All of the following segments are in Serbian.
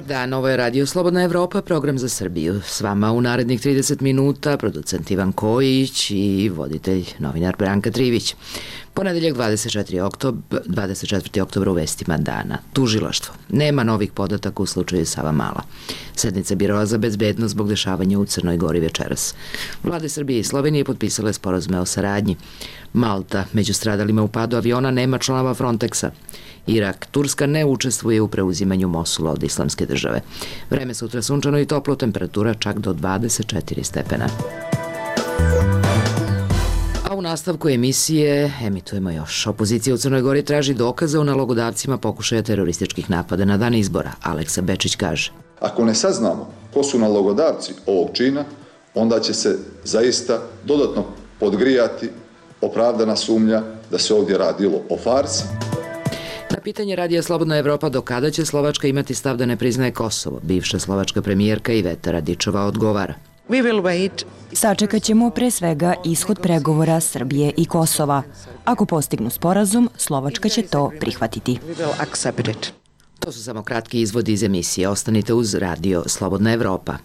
dan, ovo je Radio Slobodna Evropa, program za Srbiju. S vama u narednih 30 minuta producent Ivan Kojić i voditelj novinar Branka Trivić. Ponedeljak 24. oktober u vestima dana. Tužilaštvo. Nema novih podataka u slučaju Savamala. Sednica Biroa za bezbednost zbog dešavanja u Crnoj Gori večeras. Vlade Srbije i Slovenije potpisale sporazume o saradnji. Malta, među stradalima u padu aviona nema članova Frontexa. Irak, Turska ne učestvuje u preuzimanju Mosula od Islamske države. Vreme sutra sunčano i toplo, temperatura čak do 24 stepena. A u nastavku emisije emitujemo još. Opozicija u Crnoj Gori traži dokaze o nalogodavcima pokušaja terorističkih napada na dan izbora. Aleksa Bečić kaže: Ako ne saznamo ko su nalogodavci ovog čina, onda će se zaista dodatno podgrijati opravdana sumnja da se ovdje radilo o farsi. Na pitanje Radija Slobodna Evropa do kada će Slovačka imati stav da ne priznaje Kosovo, bivša slovačka premijerka Iveta Radičova odgovara: Sačekat ćemo pre svega ishod pregovora Srbije i Kosova. Ako postignu sporazum, Slovačka će to prihvatiti. To su samo kratki izvodi iz emisije. Ostanite uz Radio Slobodna Evropa.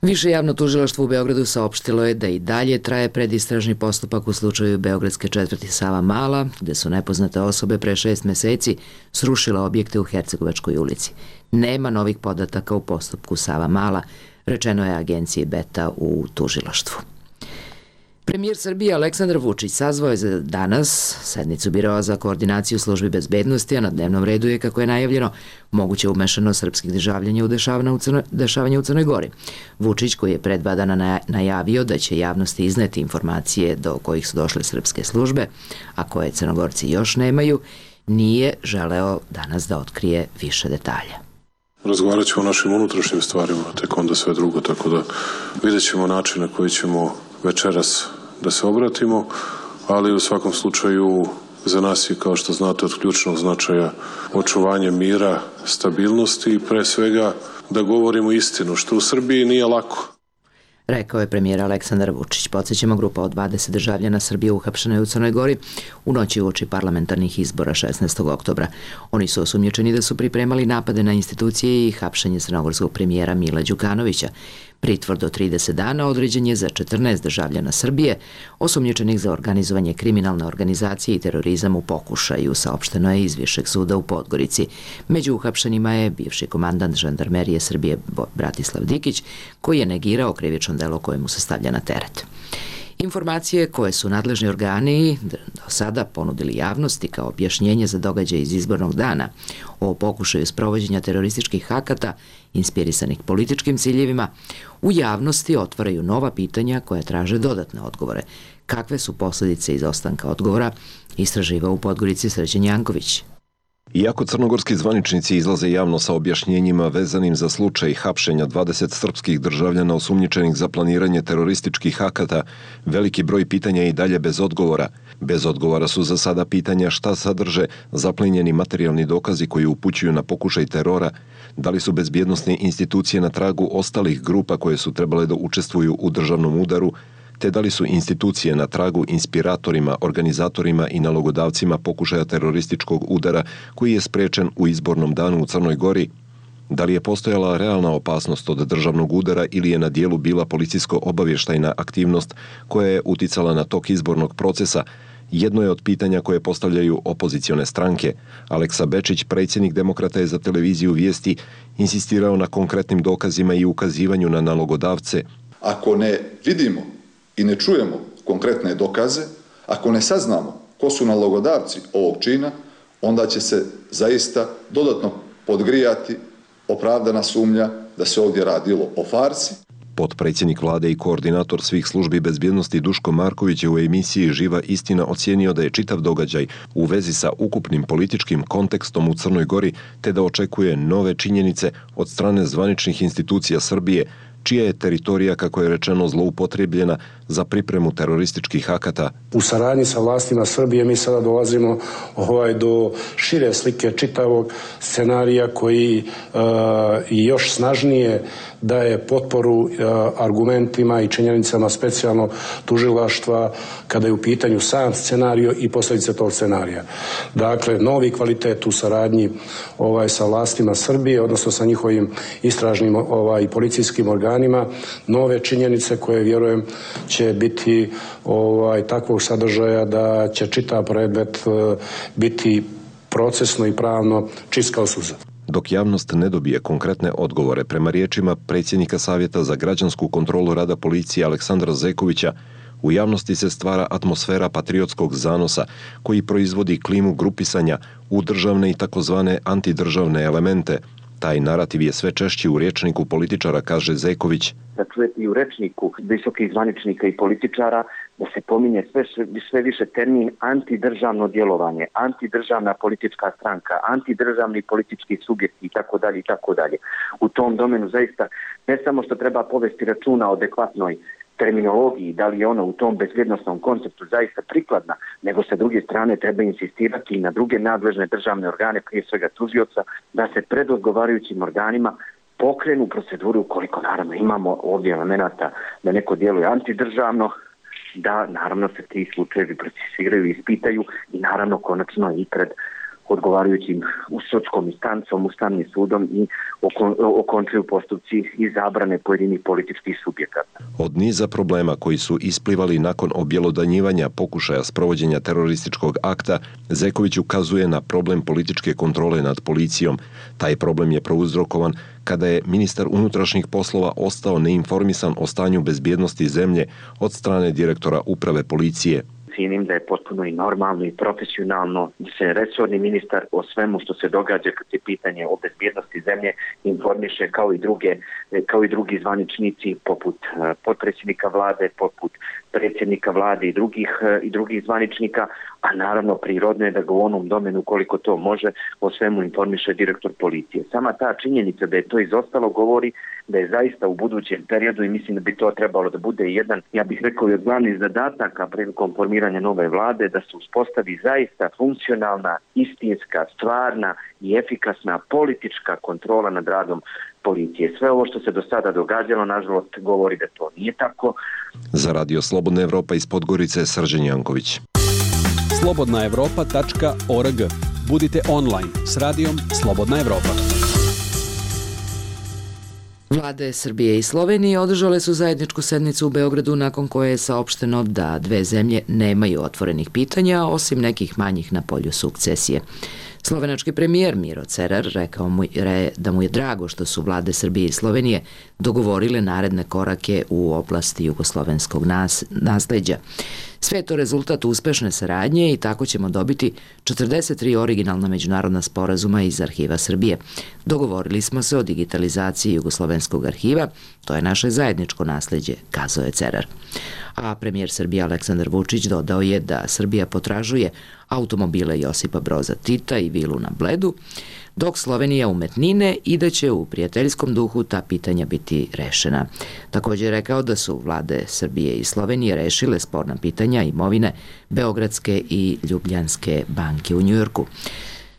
Više javno tužilaštvo u Beogradu saopštilo je da i dalje traje predistražni postupak u slučaju beogradske četvrti Savamala, gde su nepoznate osobe pre 6 meseci srušile objekte u Hercegovačkoj ulici. Nema novih podataka u postupku Savamala, rečeno je agenciji Beta u tužilaštvu. Premijer Srbije Aleksandar Vučić sazvao je za danas sednicu Biroa za koordinaciju službi bezbednosti, a na dnevnom redu je, kako je najavljeno, moguće umešano srpskih državljanja u dešavanje u Crnoj Gori. Vučić, koji je pre 2 dana najavio da će javnosti izneti informacije do kojih su došle srpske službe, a koje Crnogorci još nemaju, nije želeo danas da otkrije više detalja. Razgovarat ćemo o našim unutrašnjim stvarima, tek onda sve drugo, tako da vidjet ćemo način na koji ćemo večeras da se obratimo, ali u svakom slučaju za nas je, kao što znate, od ključnog značaja očuvanje mira, stabilnosti i pre svega da govorimo istinu, što u Srbiji nije lako. Rekao je premijer Aleksandar Vučić. Podsjećamo, grupa od 20 državljana Srbije uhapšena je u Crnoj Gori u noći uoči parlamentarnih izbora 16. oktobra. Oni su osumnjičeni da su pripremali napade na institucije i hapšenje crnogorskog premijera Mila Đukanovića. Pritvor do 30 dana određen je za 14 državljana Srbije, osumnjičenih za organizovanje kriminalne organizacije i terorizam u pokušaju, saopšteno je iz Višeg suda u Podgorici. Među uhapšenima je bivši komandant žandarmerije Srbije Bratislav Dikić, koji je negirao krivično delo koje mu se stavlja na teret. Informacije koje su nadležni organi do sada ponudili javnosti kao objašnjenje za događaj iz izbornog dana o pokušaju sprovođenja terorističkih akata inspirisanih političkim ciljevima, u javnosti otvaraju nova pitanja koja traže dodatne odgovore. Kakve su posljedice izostanka odgovora, istraživao u Podgorici Srđan Janković. Iako crnogorski zvaničnici izlaze javno sa objašnjenjima vezanim za slučaj hapšenja 20 srpskih državljana osumnjičenih za planiranje terorističkih akata, veliki broj pitanja je i dalje bez odgovora. Bez odgovora su za sada pitanja šta sadrže zaplenjeni materijalni dokazi koji upućuju na pokušaj terora, da li su bezbjednosne institucije na tragu ostalih grupa koje su trebale da učestvuju u državnom udaru, te da li su institucije na tragu inspiratorima, organizatorima i nalogodavcima pokušaja terorističkog udara koji je sprečen u izbornom danu u Crnoj Gori, da li je postojala realna opasnost od državnog udara ili je na dijelu bila policijsko-obavještajna aktivnost koja je uticala na tok izbornog procesa, jedno je od pitanja koje postavljaju opozicione stranke. Aleksa Bečić, predsjednik Demokrata, je za televiziju Vijesti insistirao na konkretnim dokazima i ukazivanju na nalogodavce. Ako ne vidimo i ne čujemo konkretne dokaze, ako ne saznamo ko su nalogodavci ovog čina, onda će se zaista dodatno podgrijati opravdana sumnja da se ovdje radilo o farsi. Potpredsjednik vlade i koordinator svih službi bezbjednosti Duško Marković je u emisiji Živa istina ocijenio da je čitav događaj u vezi sa ukupnim političkim kontekstom u Crnoj Gori, te da očekuje nove činjenice od strane zvaničnih institucija Srbije, čija je teritorija, kako je rečeno, zloupotrebljena za pripremu terorističkih akata. U saradnji sa vlastima Srbije mi sada dolazimo do šire slike čitavog scenarija koji još snažnije daje potporu argumentima i činjenicama specijalno tužilaštva kada je u pitanju sam scenario i posljedice tog scenarija. Dakle, novi kvalitet u saradnji sa vlastima Srbije, odnosno sa njihovim istražnim i policijskim organima, nove činjenice koje vjerujem će biti takvog sadržaja da će čitav predmet biti procesno i pravno čist kao suza. Dok javnost ne dobije konkretne odgovore, prema riječima predsjednika Savjeta za građansku kontrolu rada policije Aleksandra Zekovića, u javnosti se stvara atmosfera patriotskog zanosa koji proizvodi klimu grupisanja u državne i takozvane antidržavne elemente. Taj narativ je sve češći u rječniku političara, kaže Zeković. Da čujete i u rečniku visokih zvaničnika i političara da se pominje sve više termin antidržavno djelovanje, antidržavna politička stranka, antidržavni politički subjekti itd. U tom domenu zaista ne samo što treba povesti računa o adekvatnoj terminologiji, da li je ona u tom bezbjednosnom konceptu zaista prikladna, nego sa druge strane treba insistirati i na druge nadležne državne organe, prije svega tužioca, da se pred odgovarajućim organima pokrenu proceduru, ukoliko naravno imamo ovdje elemenata da neko djeluje antidržavno, da naravno se ti slučajevi procesuiraju i ispitaju i naravno konačno i pred odgovarajućim sudskom instancom, Ustavnim sudom i okončuju postupci i zabrane pojedinih političkih subjekata. Od niza problema koji su isplivali nakon objelodanjivanja pokušaja sprovođenja terorističkog akta, Zeković ukazuje na problem političke kontrole nad policijom. Taj problem je prouzrokovan kada je ministar unutrašnjih poslova ostao neinformisan o stanju bezbjednosti zemlje od strane direktora uprave policije. Cijenim da je potpuno i normalno i profesionalno da se resorni ministar o svemu što se događa kad je pitanje o bezbjednosti zemlje informiše kao i drugi zvaničnici poput potpredsjednika vlade, poput predsjednika vlade i drugih zvaničnika, a naravno prirodno je da ga u onom domenu koliko to može o svemu informiše direktor policije. Sama ta činjenica da je to izostalo govori da je zaista u budućem periodu i mislim da bi to trebalo da bude jedan, ja bih rekao i od glavnih zadataka prilikom formiranja nove vlade, da se uspostavi zaista funkcionalna, istinska, stvarna i efikasna politička kontrola nad radom policije. Sve ovo što se do sada događalo, nažalost, govori da to nije tako. Za Radio Slobodna Evropa iz Podgorice, Srđan Janković. slobodnaevropa.org. Budite online s radijom Slobodna Evropa. Vlade Srbije i Slovenije održale su zajedničku sednicu u Beogradu nakon koje je saopšteno da dve zemlje nemaju otvorenih pitanja osim nekih manjih na polju sukcesije. Slovenački premijer Miro Cerar rekao da mu je drago što su vlade Srbije i Slovenije dogovorile naredne korake u oblasti jugoslovenskog nasleđa. Sve je to rezultat uspešne saradnje i tako ćemo dobiti 43 originalna međunarodna sporazuma iz arhiva Srbije. Dogovorili smo se o digitalizaciji jugoslovenskog arhiva, to je naše zajedničko nasleđe, kazao je Cerar. A premijer Srbije Aleksandar Vučić dodao je da Srbija potražuje automobile Josipa Broza Tita i vilu na Bledu, dok Slovenija umetnine i da će u prijateljskom duhu ta pitanja biti rešena. Također je rekao da su vlade Srbije i Slovenije rešile sporna pitanja imovine Beogradske i Ljubljanske banke u Njujorku.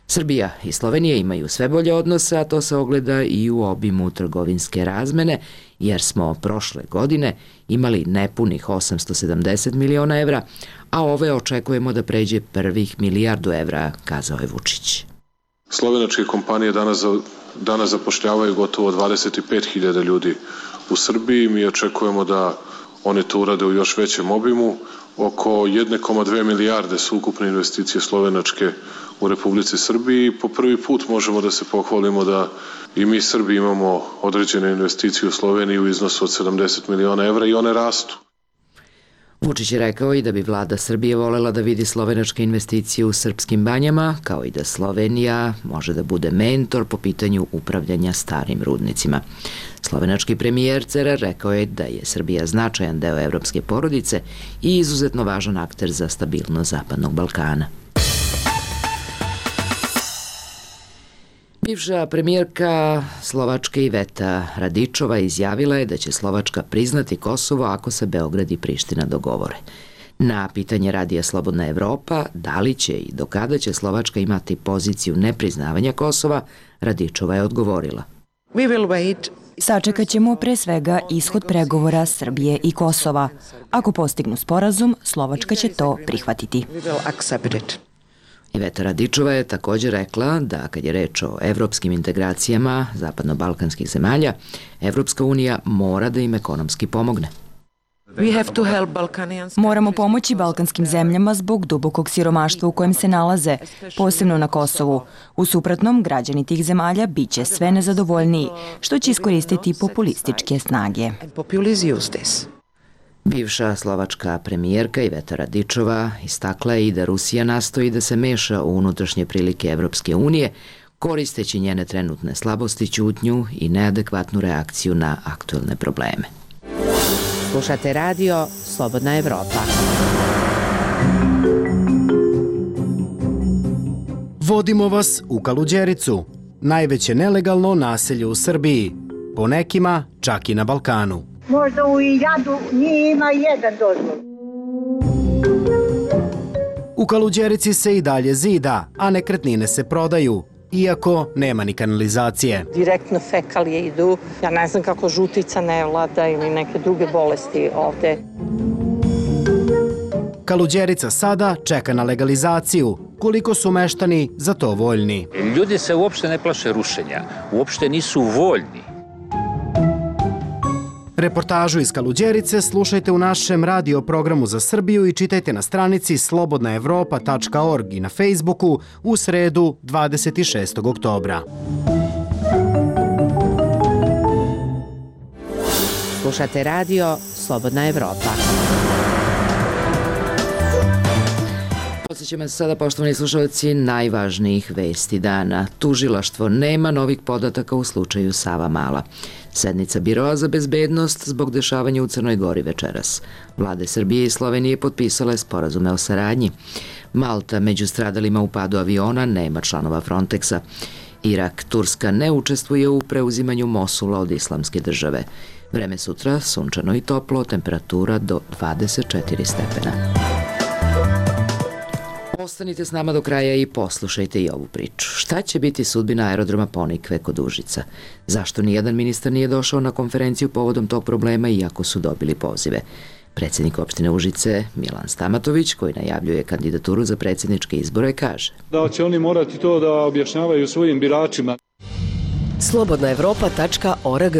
Srbija i Slovenija imaju sve bolje odnose, a to se ogleda i u obimu trgovinske razmene, jer smo prošle godine imali nepunih 870 miliona evra, a ove očekujemo da pređe prvih milijardu evra, kazao je Vučić. Slovenačke kompanije danas zapošljavaju gotovo 25.000 ljudi u Srbiji. Mi očekujemo da one to urade u još većem obimu. Oko 1,2 milijarde su ukupne investicije slovenačke u Republici Srbiji. Po prvi put možemo da se pohvalimo da i mi Srbi imamo određene investicije u Sloveniji u iznosu od 70 miliona evra i one rastu. Vučić je rekao i da bi vlada Srbije volela da vidi slovenačke investicije u srpskim banjama, kao i da Slovenija može da bude mentor po pitanju upravljanja starim rudnicima. Slovenački premijer Cerar rekao je da je Srbija značajan deo evropske porodice i izuzetno važan akter za stabilnost Zapadnog Balkana. Bivša premijerka Slovačke Iveta Radičova izjavila je da će Slovačka priznati Kosovo ako se Beograd i Priština dogovore. Na pitanje radija Slobodna Evropa, da li će i do kada će Slovačka imati poziciju nepriznavanja Kosova, Radičova je odgovorila. Sačekat ćemo pre svega ishod pregovora Srbije i Kosova. Ako postignu sporazum, Slovačka će to prihvatiti. Iveta Radičova je također rekla da kad je reč o evropskim integracijama zapadno-balkanskih zemalja, Evropska unija mora da im ekonomski pomogne. Moramo pomoći balkanskim zemljama zbog dubokog siromaštva u kojem se nalaze, posebno na Kosovu. U suprotnom, građani tih zemalja biće sve nezadovoljniji, što će iskoristiti populističke snage. Bivša slovačka premijerka Iveta Radičova istakla je i da Rusija nastoji da se meša u unutrašnje prilike Evropske unije, koristeći njene trenutne slabosti, ćutnju i neadekvatnu reakciju na aktuelne probleme. Slušate radio Slobodna Evropa. Vodimo vas u Kaluđericu, najveće nelegalno naselje u Srbiji, po nekima čak i na Balkanu. Možda u Iljadu nije ima jedan dozvol. U Kaluđerici se i dalje zida, a nekretnine se prodaju, iako nema ni kanalizacije. Direktno fekalije idu. Ja ne znam kako žutica ne vlada ili neke druge bolesti ovde. Kaluđerica sada čeka na legalizaciju. Koliko su meštani za to voljni? Ljudi se uopšte ne plaše rušenja, uopšte nisu voljni. Reportažu iz Kaluđerice slušajte u našem radio programu za Srbiju i čitajte na stranici slobodnaevropa.org i na Facebooku u sredu 26. oktobra. Slušate radio Slobodna Evropa. Podsećamo se sada, poštovani slušalci, najvažnijih vesti dana. Tužilaštvo nema novih podataka u slučaju Savamala. Sednica Biroa za bezbednost zbog dešavanja u Crnoj Gori večeras. Vlade Srbije i Slovenije potpisale sporazume o saradnji. Malta među stradalima u padu aviona nema članova Frontexa. Irak, Turska ne učestvuje u preuzimanju Mosula od Islamske države. Vreme sutra, sunčano i toplo, temperatura do 24 stepena. Ostanite s nama do kraja i poslušajte i ovu priču. Šta će biti sudbina aerodroma Ponikve kod Užica? Zašto nijedan ministar nije došao na konferenciju povodom tog problema iako su dobili pozive? Predsjednik opštine Užice, Milan Stamatović, koji najavljuje kandidaturu za predsjedničke izbore, kaže da će oni morati to da objašnjavaju svojim biračima. Slobodnaevropa.org.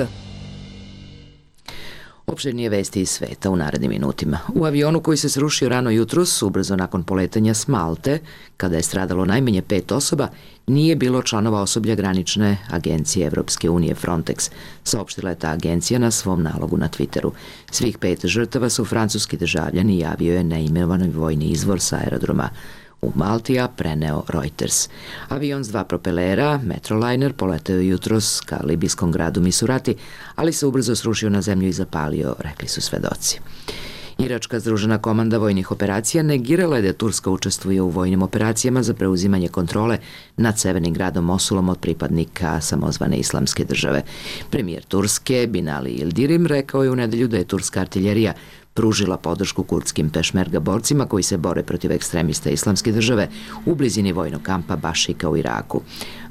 Opširnije vesti iz sveta u narednim minutima. U avionu koji se srušio rano jutros, ubrzo nakon poletanja s Malte, kada je stradalo najmanje 5 osoba, nije bilo članova osoblja granične agencije Evropske unije Frontex, saopštila je ta agencija na svom nalogu na Twitteru. Svih 5 žrtava su francuski državljani, javio je neimenovani vojni izvor sa aerodroma u Maltija preneo Reuters. Avion s 2 propelera, Metroliner, poleteo jutros ka libijskom gradu Misurati, ali se ubrzo srušio na zemlju i zapalio, rekli su svedoci. Iračka združena komanda vojnih operacija negirala je da Turska učestvuje u vojnim operacijama za preuzimanje kontrole nad severnim gradom Mosulom od pripadnika samozvane Islamske države. Premijer Turske, Binali Yildirim, rekao je u nedelju da je turska artiljerija pružila podršku kurdskim pešmerga borcima koji se bore protiv ekstremista Islamske države u blizini vojnog kampa Bašika u Iraku.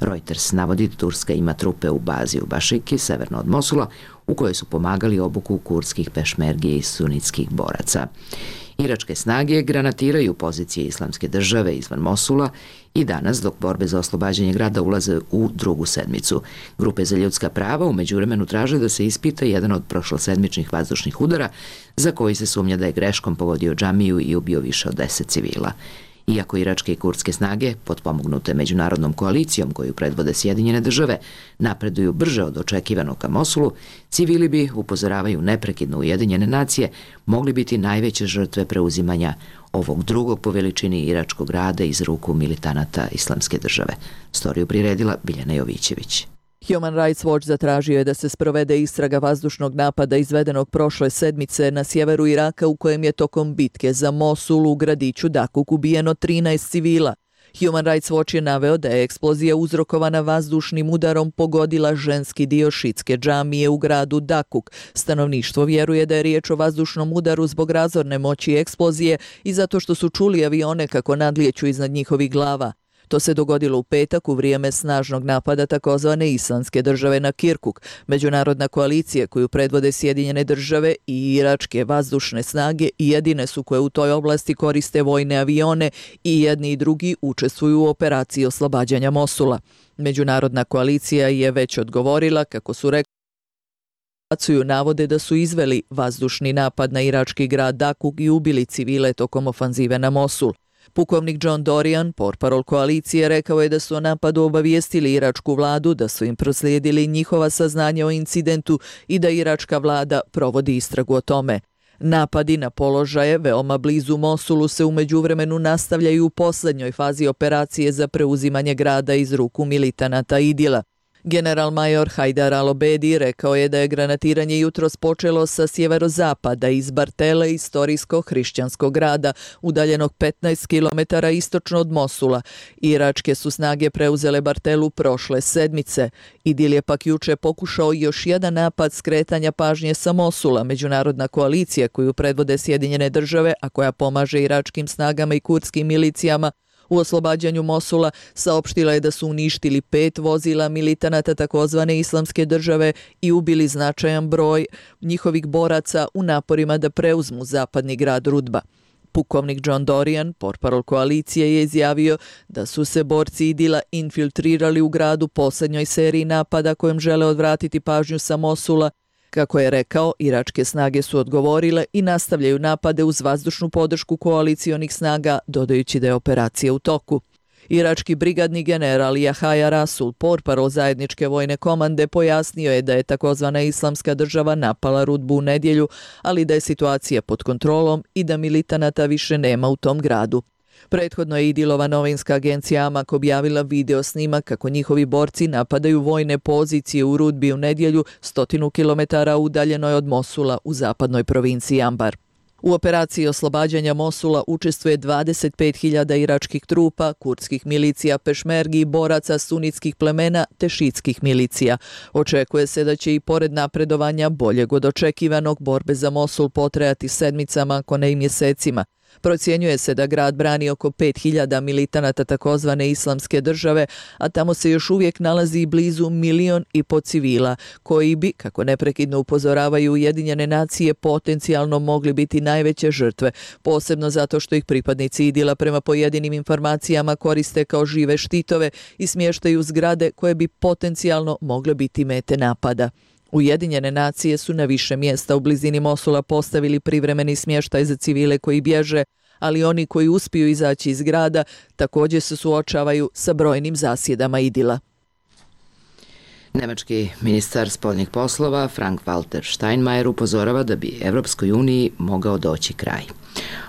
Reuters navodi da Turska ima trupe u bazi u Bašiki, severno od Mosula, u kojoj su pomagali obuku kurdskih pešmergi i sunitskih boraca. Iračke snage granatiraju pozicije Islamske države izvan Mosula i danas, dok borbe za oslobađanje grada ulaze u drugu sedmicu. Grupe za ljudska prava u međuvremenu traže da se ispita jedan od prošlosedmičnih vazdušnih udara za koji se sumnja da je greškom pogodio džamiju i ubio više od 10 civila. Iako iračke i kurdske snage, potpomognute međunarodnom koalicijom koju predvode Sjedinjene države, napreduju brže od očekivanog ka Mosulu, civili bi, upozoravaju neprekidno Ujedinjene nacije, mogli biti najveće žrtve preuzimanja ovog drugog po veličini iračkog grada iz ruku militanata Islamske države. Storiju priredila Biljana Jovićević. Human Rights Watch zatražio je da se sprovede istraga vazdušnog napada izvedenog prošle sedmice na sjeveru Iraka u kojem je tokom bitke za Mosul u gradiću Dakuk ubijeno 13 civila. Human Rights Watch je naveo da je eksplozija uzrokovana vazdušnim udarom pogodila ženski dio šitske džamije u gradu Dakuk. Stanovništvo vjeruje da je riječ o vazdušnom udaru zbog razorne moći eksplozije i zato što su čuli avione kako nadlijeću iznad njihovih glava. To se dogodilo u petak u vrijeme snažnog napada takozvane Islamske države na Kirkuk. Međunarodna koalicija koju predvode Sjedinjene države i iračke vazdušne snage jedine su koje u toj oblasti koriste vojne avione i jedni i drugi učestvuju u operaciji oslobađanja Mosula. Međunarodna koalicija je već odgovorila kako su rekli navode da su izveli vazdušni napad na irački grad Dakuk i ubili civile tokom ofanzive na Mosul. Pukovnik John Dorian, portparol koalicije, rekao je da su o napadu obavijestili iračku vladu, da su im proslijedili njihova saznanja o incidentu i da iračka vlada provodi istragu o tome. Napadi na položaje veoma blizu Mosulu se u međuvremenu nastavljaju u posljednjoj fazi operacije za preuzimanje grada iz ruku militanata Idila. General major Hajdar al-Obedi rekao je da je granatiranje jutros počelo sa sjeverozapada iz Bartele, istorijskog hrišćanskog grada, udaljenog 15 km istočno od Mosula. Iračke su snage preuzele Bartelu prošle sedmice. Idil je pak juče pokušao još jedan napad skretanja pažnje sa Mosula. Međunarodna koalicija koju predvode Sjedinjene države, a koja pomaže iračkim snagama i kurdskim milicijama, u oslobađanju Mosula saopštila je da su uništili 5 vozila militanata takozvane Islamske države i ubili značajan broj njihovih boraca u naporima da preuzmu zapadni grad Rudba. Pukovnik John Dorian, portparol koalicije, je izjavio da su se borci Idila infiltrirali u gradu posljednjoj seriji napada kojom žele odvratiti pažnju sa Mosula. Kako je rekao, iračke snage su odgovorile i nastavljaju napade uz vazdušnu podršku koalicionih snaga, dodajući da je operacija u toku. Irački brigadni general Jahaja Rasul, portparol zajedničke vojne komande, pojasnio je da je takozvana Islamska država napala Rudbu u nedjelju, ali da je situacija pod kontrolom i da militanata više nema u tom gradu. Prethodno je Idilova novinska agencija Amak objavila video snimak kako njihovi borci napadaju vojne pozicije u Rudbi u nedjelju 100 km udaljenoj od Mosula u zapadnoj provinciji Ambar. U operaciji oslobađanja Mosula učestvuje 25.000 iračkih trupa, kurdskih milicija pešmergi, boraca sunitskih plemena te šitskih milicija. Očekuje se da će i pored napredovanja boljeg od očekivanog borbe za Mosul potrajati sedmicama, ako ne i mjesecima. Procjenjuje se da grad brani oko 5.000 militanata takozvane Islamske države, a tamo se još uvijek nalazi blizu 1,5 miliona civila, koji bi, kako neprekidno upozoravaju Ujedinjene nacije, potencijalno mogli biti najveće žrtve, posebno zato što ih pripadnici Idila prema pojedinim informacijama koriste kao žive štitove i smještaju zgrade koje bi potencijalno mogle biti mete napada. Ujedinjene nacije su na više mjesta u blizini Mosula postavili privremeni smještaj za civile koji bježe, ali oni koji uspiju izaći iz grada također se suočavaju sa brojnim zasjedama Idila. Nemački ministar spoljnih poslova Frank-Walter Steinmeier upozorava da bi Evropskoj uniji mogao doći kraj.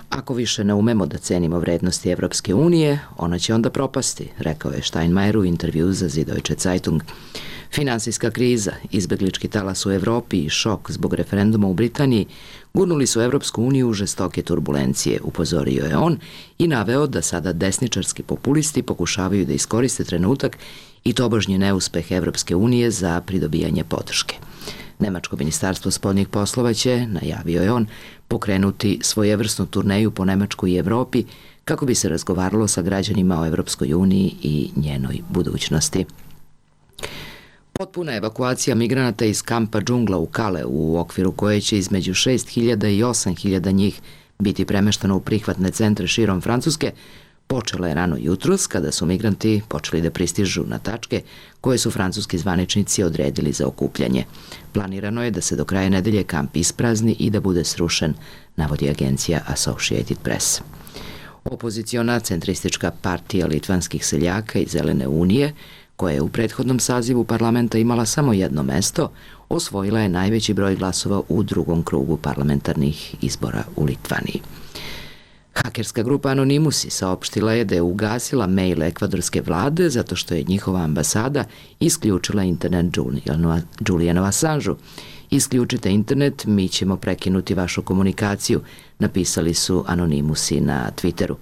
Ako više ne umemo da cenimo vrednosti Evropske unije, ona će onda propasti, rekao je Steinmeier u intervju za Süddeutsche Zeitung. Finansijska kriza, izbeglički talas u Evropi i šok zbog referenduma u Britaniji gurnuli su Evropsku uniju u žestoke turbulencije, upozorio je on i naveo da sada desničarski populisti pokušavaju da iskoriste trenutak i tobožnji neuspeh Evropske unije za pridobijanje podrške. Nemačko ministarstvo spoljnih poslova će, najavio je on, pokrenuti svojevrsnu turneju po Nemačkoj i Evropi kako bi se razgovaralo sa građanima o Evropskoj uniji i njenoj budućnosti. Potpuna evakuacija migranata iz kampa džungla u Kale, u okviru koje će između 6.000 i 8.000 njih biti premešteno u prihvatne centre širom Francuske, počela je rano jutros kada su migranti počeli da pristižu na tačke koje su francuski zvaničnici odredili za okupljanje. Planirano je da se do kraja nedelje kamp isprazni i da bude srušen, navodi agencija Associated Press. Opoziciona centristička partija litvanskih seljaka i Zelene unije, koja je u prethodnom sazivu parlamenta imala samo jedno mesto, osvojila je najveći broj glasova u drugom krugu parlamentarnih izbora u Litvaniji. Hakerska grupa Anonymous saopštila je da je ugasila mail ekvadorske vlade zato što je njihova ambasada isključila internet Julianu Assangeu. Isključite internet, mi ćemo prekinuti vašu komunikaciju, napisali su Anonymousi na Twitteru.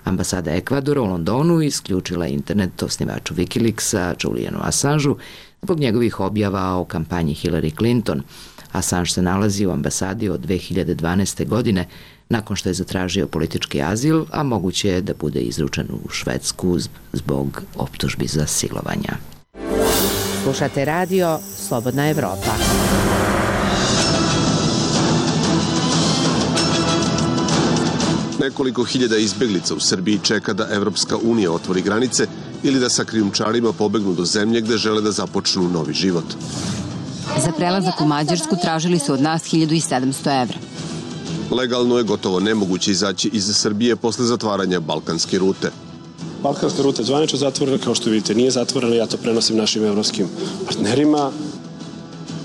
Ambasada Ekvadora u Londonu isključila internet osnivaču Wikileaksa, Julianu Assangeu, zbog njegovih objava o kampanji Hillary Clinton. Assange se nalazi u ambasadi od 2012. godine, nakon što je zatražio politički azil, a moguće je da bude izručen u Švedsku zbog optužbi za silovanja. Slušate radio Slobodna Evropa. Nekoliko hiljada izbeglica u Srbiji čeka da Evropska unija otvori granice ili da sa krijumčarima pobegnu do zemlje gde žele da započnu novi život. Za prelazak u Mađarsku tražili su od nas 1700 evra. Legalno je gotovo nemoguće izaći iz Srbije posle zatvaranja balkanske rute. Balkanska ruta je zvanično zatvorena, kao što vidite, nije zatvorena, ja to prenosim našim evropskim partnerima.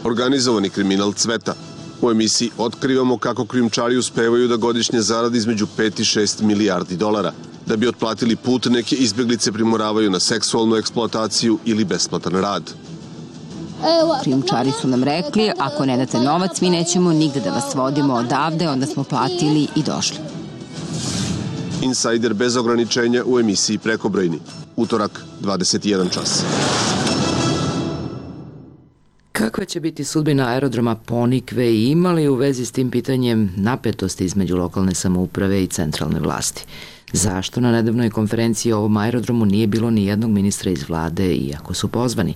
Organizovani kriminal cveta. U emisiji otkrivamo kako krijumčari uspevaju da godišnje zarade između 5 i 6 milijardi dolara. Da bi otplatili put, neke izbeglice primoravaju na seksualnu eksploataciju ili besplatan rad. Krijumčari su nam rekli, ako ne date novac, mi nećemo nigde da vas vodimo odavde, onda smo platili i došli. Insajder bez ograničenja u emisiji Prekobrojni. Utorak, 21 čas. Kakva će biti sudbina aerodroma Ponikve i ima li u vezi s tim pitanjem napetosti između lokalne samouprave i centralne vlasti? Zašto na nedavnoj konferenciji o ovom aerodromu nije bilo ni jednog ministra iz vlade, iako su pozvani?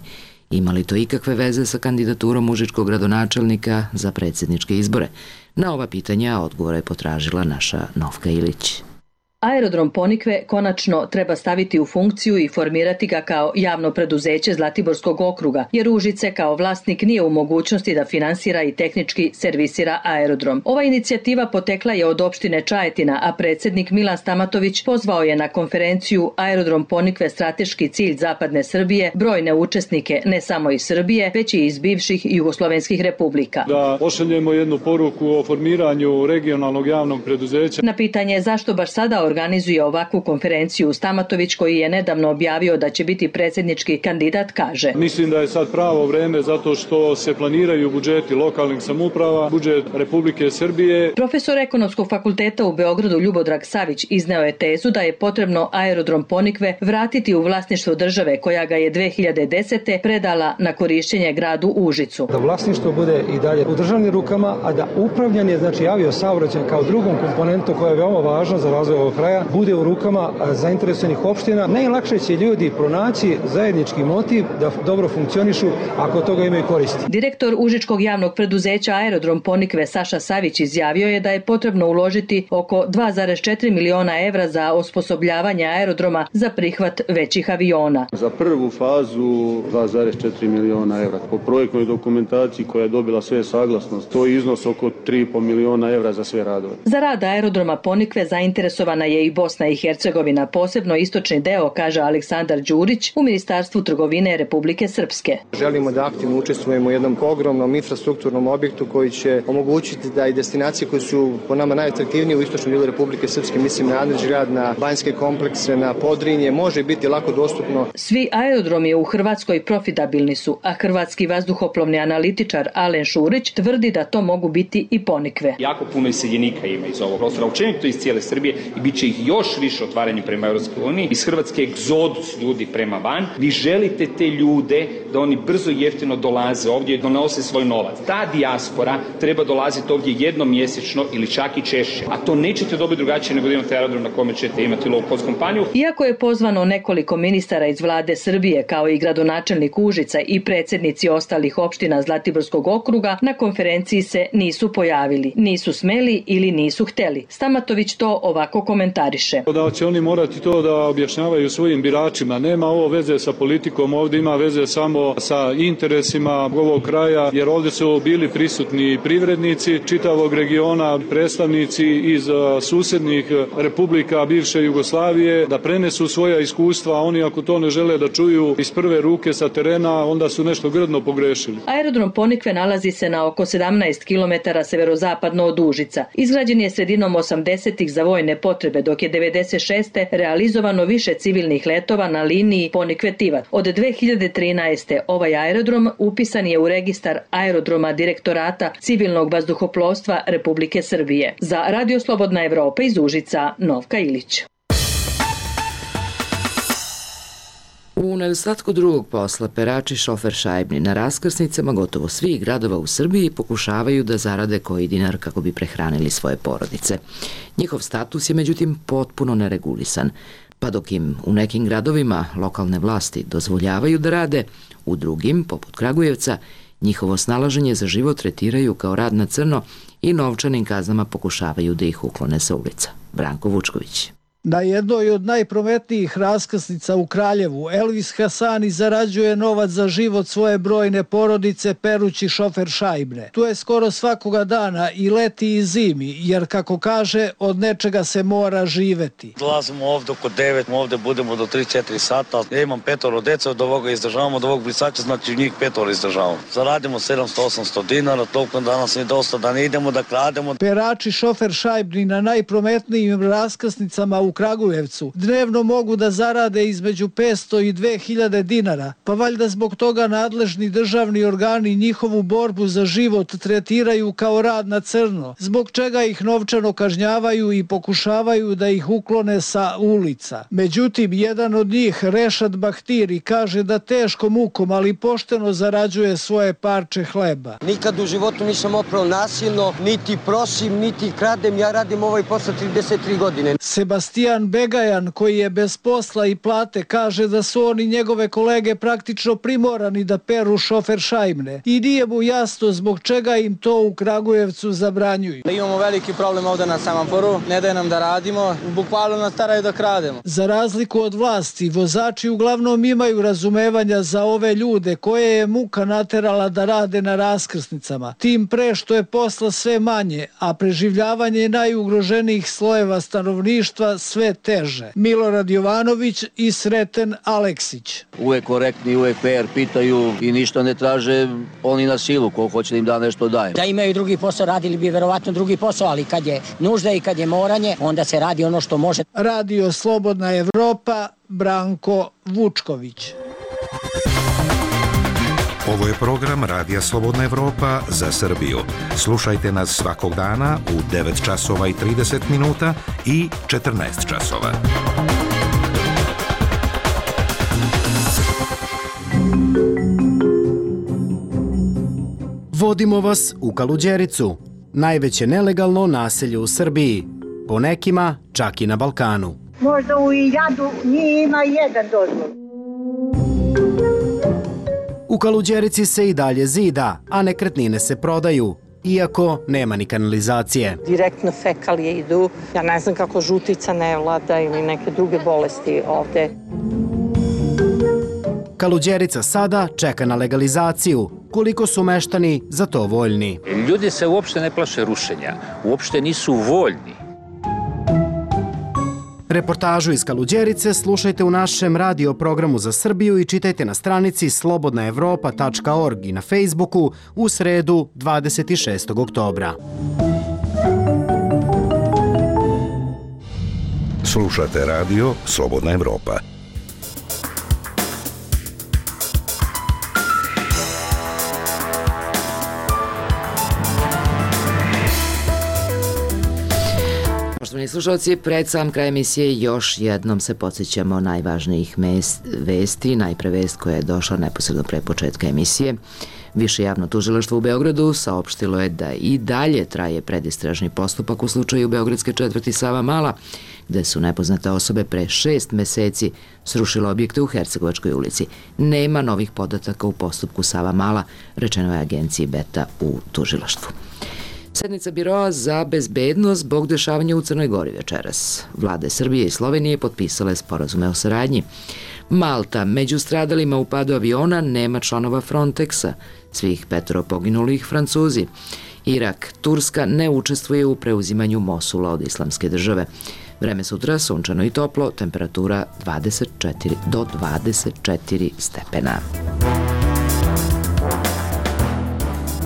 Ima li to ikakve veze sa kandidaturom užičkog gradonačelnika za predsjedničke izbore? Na ova pitanja odgovore je potražila naša Novka Ilić. Aerodrom Ponikve konačno treba staviti u funkciju i formirati ga kao javno preduzeće Zlatiborskog okruga, jer Užice kao vlasnik nije u mogućnosti da finansira i tehnički servisira aerodrom. Ova inicijativa potekla je od opštine Čajetina, a predsjednik Milan Stamatović pozvao je na konferenciju Aerodrom Ponikve strateški cilj zapadne Srbije brojne učesnike ne samo iz Srbije, već i iz bivših jugoslovenskih republika. Da pošaljemo jednu poruku o formiranju regionalnog javnog preduzeća. Na pitanje zašto baš sada organizuje ovakvu konferenciju, Stamatović, koji je nedavno objavio da će biti predsjednički kandidat, kaže: Mislim da je sad pravo vreme zato što se planiraju budžeti lokalnih samouprava, budžet Republike Srbije. Profesor ekonomskog fakulteta u Beogradu Ljubodrag Savić izneo je tezu da je potrebno aerodrom Ponikve vratiti u vlasništvo države koja ga je 2010. predala na korišćenje gradu Užicu. Da vlasništvo bude i dalje u državnim rukama, a da upravljanje, znači aviosaobraćaj kao drugom komponentu koja je veoma važna za razvoj ovog kraja, bude u rukama zainteresovanih opština. Najlakše će ljudi pronaći zajednički motiv da dobro funkcionišu ako toga imaju koristi. Direktor Užičkog javnog preduzeća Aerodrom Ponikve Saša Savić izjavio je da je potrebno uložiti oko 2,4 miliona evra za osposobljavanje aerodroma za prihvat većih aviona. Za prvu fazu 2,4 miliona evra. Po projektnoj dokumentaciji koja je dobila sve saglasnost, to je iznos oko 3,5 miliona evra za sve radove. Za rad aerodroma Ponikve zainteresovana je i Bosna i Hercegovina, posebno istočni deo, kaže Aleksandar Đurić u Ministarstvu trgovine Republike Srpske. Želimo da aktivno učestvujemo u jednom ogromnom infrastrukturnom objektu koji će omogućiti da i destinacije koje su po nama najatraktivnije u istočnom dijelu Republike Srpske, mislim na Andrić grad, na banjske komplekse, na Podrinje, može biti lako dostupno. Svi aerodromi u Hrvatskoj profitabilni su, a hrvatski vazduhoplovni analitičar Alen Šurić tvrdi da to mogu biti i Ponikve. Jako puno iseljenika ima iz ovog prostora, učinito iz cijele Srbije i bit će ih još više otvaranje prema Europskoj uniji. Iz Hrvatske egzodus ljudi prema van. Vi želite te ljude da oni brzo i jeftino dolaze ovdje i donose svoj novac. Ta dijaspora treba dolaziti ovdje jednom mjesečno ili čak i češće. A to nećete dobiti drugačije nego da imate aerodrom na kome ćete imati low cost kompaniju. Iako je pozvano nekoliko ministara iz vlade Srbije, kao i gradonačelnik Užica i predsjednici ostalih opština Zlatiborskog okruga, na konferenciji se nisu pojavili. Nisu smeli ili nisu hteli. Stamatović to ovako komentariše. Da će oni morati to da objašnjavaju svojim biračima. Nema ovo veze sa politikom, ovdje ima veze samo sa interesima ovog kraja, jer ovdje su bili prisutni privrednici čitavog regiona, predstavnici iz susjednih republika bivše Jugoslavije, da prenesu svoja iskustva, a oni ako to ne žele da čuju iz prve ruke sa terena, onda su nešto grdno pogrešili. Aerodrom Ponikve nalazi se na oko 17 km severozapadno od Užica. Izgrađen je sredinom 80-ih za vojne potrebe, dok je 96. realizovano više civilnih letova na liniji Ponikve-Tivat. Od 2013. ovaj aerodrom upisan je u registar aerodroma Direktorata civilnog vazduhoplovstva Republike Srbije. Za Radio Slobodna Evropa iz Užica, Novka Ilić. U nedostatku drugog posla, perači šofer šajbni na raskrsnicama gotovo svih gradova u Srbiji pokušavaju da zarade koji dinar kako bi prehranili svoje porodice. Njihov status je međutim potpuno neregulisan, pa dok im u nekim gradovima lokalne vlasti dozvoljavaju da rade, u drugim, poput Kragujevca, njihovo snalaženje za život tretiraju kao rad na crno i novčanim kaznama pokušavaju da ih uklone sa ulica. Branko Vučković. Na jednoj od najprometnijih raskrsnica u Kraljevu, Elvis Hasani zarađuje novac za život svoje brojne porodice perući šofer šajbne. Tu je skoro svakoga dana i leti i zimi, jer kako kaže, od nečega se mora živeti. Dolazimo ovde oko 9, ovde budemo do 3-4 sata. Ja imam 5 deca, od ovoga izdržavamo, od ovog brisača, znači njih 5 izdržavamo. Zaradimo 700-800 dinara, toliko danas je dosta da ne idemo da krademo. Perači šofer šajbni na najprometnijim raskrsnicama u Kragujevcu dnevno mogu da zarade između 500 i 2000 dinara, pa valjda zbog toga nadležni državni organi njihovu borbu za život tretiraju kao rad na crno, zbog čega ih novčano kažnjavaju i pokušavaju da ih uklone sa ulica. Međutim, jedan od njih, Rešad Bahtiri, kaže da teškom mukom, ali pošteno zarađuje svoje parče hleba. Nikad u životu nisam oprao nasilno, niti prosim, niti kradem, ja radim ovaj posao 33 godine. Sebastijan Begajan, koji je bez posla i plate, kaže da su oni njegove kolege praktično primorani da peru šofer šajbne i nije mu jasno zbog čega im to u Kragujevcu zabranjuju. Imamo veliki problem ovde na semaforu, ne daje nam da radimo, bukvalno nas staraju da krademo. Za razliku od vlasti, vozači uglavnom imaju razumevanja za ove ljude koje je muka naterala da rade na raskrsnicama, tim pre što je posla sve manje, a preživljavanje najugroženijih slojeva stanovništva sve teže. Milorad Jovanović i Sreten Aleksić. Uvek korektni, uvek fair, pitaju i ništa ne traže oni na silu, ko hoće da im da nešto daje. Da imaju drugi posao, radili bi verovatno drugi posao, ali kad je nužda i kad je moranje, onda se radi ono što može. Radio Slobodna Evropa, Branko Vučković. Ovo je program Radija Slobodna Evropa za Srbiju. Slušajte nas svakog dana u 9 časova i 30 minuta i 14 časova. Vodimo vas u Kaluđericu, najveće nelegalno naselje u Srbiji, po nekima čak i na Balkanu. Možda u Iljadu nije ima jedan dozvol. U Kaluđerici se i dalje zida, a nekretnine se prodaju, iako nema ni kanalizacije. Direktno fekalije idu, ja ne znam kako žutica ne vlada ili neke druge bolesti ovde. Kaluđerica sada čeka na legalizaciju, koliko su meštani za to voljni. Ljudi se uopšte ne plaše rušenja, uopšte nisu voljni. Reportažu iz Kaluđerice slušajte u našem radio programu za Srbiju i čitajte na stranici slobodnaevropa.org i na Facebooku u sredu 26. oktobra. Slušate radio Slobodna Evropa. Poštovani slušalci, pred sam kraj emisije još jednom se podsjećamo najvažnijih vesti. Najpre vest koja je došla neposredno pre početka emisije. Više javno tužilaštvo u Beogradu saopštilo je da i dalje traje predistražni postupak u slučaju beogradske četvrti Savamala, gde su nepoznate osobe pre 6 meseci srušile objekte u Hercegovačkoj ulici. Nema novih podataka u postupku Savamala, rečeno je agenciji Beta u tužilaštvu. Sednica Biroa za bezbednost zbog dešavanja u Crnoj Gori večeras. Vlade Srbije i Slovenije potpisale sporazume o saradnji. Malta, među stradalima u padu aviona nema članova Frontexa, svih 5 poginulih Francuzi. Irak, Turska ne učestvuje u preuzimanju Mosula od Islamske države. Vreme sutra sunčano i toplo, temperatura 24 do 24 stepena.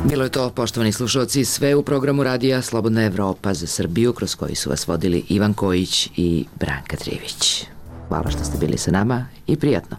Bilo je to, poštovani slušalci, sve u programu radija Slobodna Evropa za Srbiju, kroz koji su vas vodili Ivan Kojić i Branka Trivić. Hvala što ste bili sa nama i prijatno.